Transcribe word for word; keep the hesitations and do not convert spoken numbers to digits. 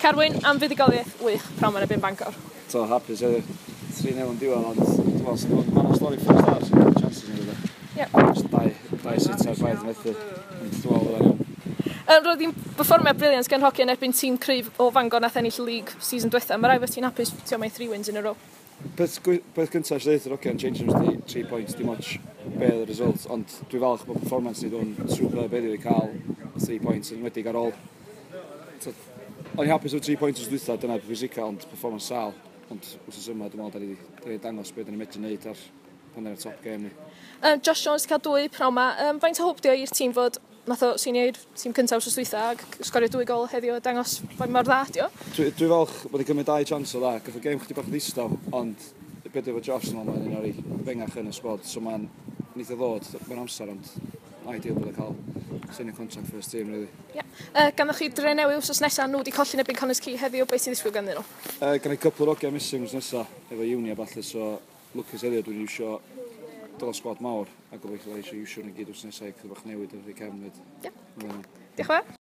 Carwyn, am fuddugoliaeth wych pnawn 'ma yn erbyn Bangor. So, hapus heddiw. tri nil yn diwedd, ond dwi'n meddwl, mae'n stori first half, sy'n chances yn dod. Ie. Just dau, dau sitter braidd yn methu. Ond dwi'n meddwl bod iawn. Um, roedd hi'n berfformiad brilliant gan hogia yn erbyn tîm cryf o Fangor nath ennill y league season diwetha. Mae rhaid bod ti'n hapus ti'n mae three wins in a row. Peth, peth cyntaf eisiau dweud yr hogia yn change rooms di three points, dim ots be oedd y result, ond dwi'n falch bod performance ni dwi'n superb heddiw i cael three points yn enwedig ar ôl. O'n i'n hapus efo three points wrth dwytha, dyna pwysica, ond performance sal. Ond wrth yma, dwi'n meddwl, da ni wedi dangos beth da ni'n medru wneud ar pan ar y top game ni. Um, Josh Jones wedi cael dwy pnawn 'ma. Um, faint o hwb di o i'r tîm fod nath o seinio i'r tîm cyntaf wrth dwytha ac sgorio dwy gol heddiw a dangos faint mor dda di o? Dwi, dwi falch bod wedi cymryd dau chance o dda. Gath o game chdi bach ddistaw, ond beth efo Josh yn ôl, mae'n un o'r fengach yn y squad, so mae'n neith o ddod mewn amser, ond ideal bod o cael seinio contract first team, really. Yeah. Uh, Ganddo chi Drenewydd wsos nesaf, nhw wedi colli'n erbyn Connah's Quay heddiw, beth sy'n ddisgwyl ganddyn nhw? Uh, gan i couple o'r hogia missing wsos nesaf, efo uni a ballu, so lwcus heddiw dwi'n iwsio dod o squad mawr, a gobeithio eisiau iwsio nhw gyd wsos nesaf i chydig bach newid ar ei cefn fyd. Yeah. Diolch yn fawr.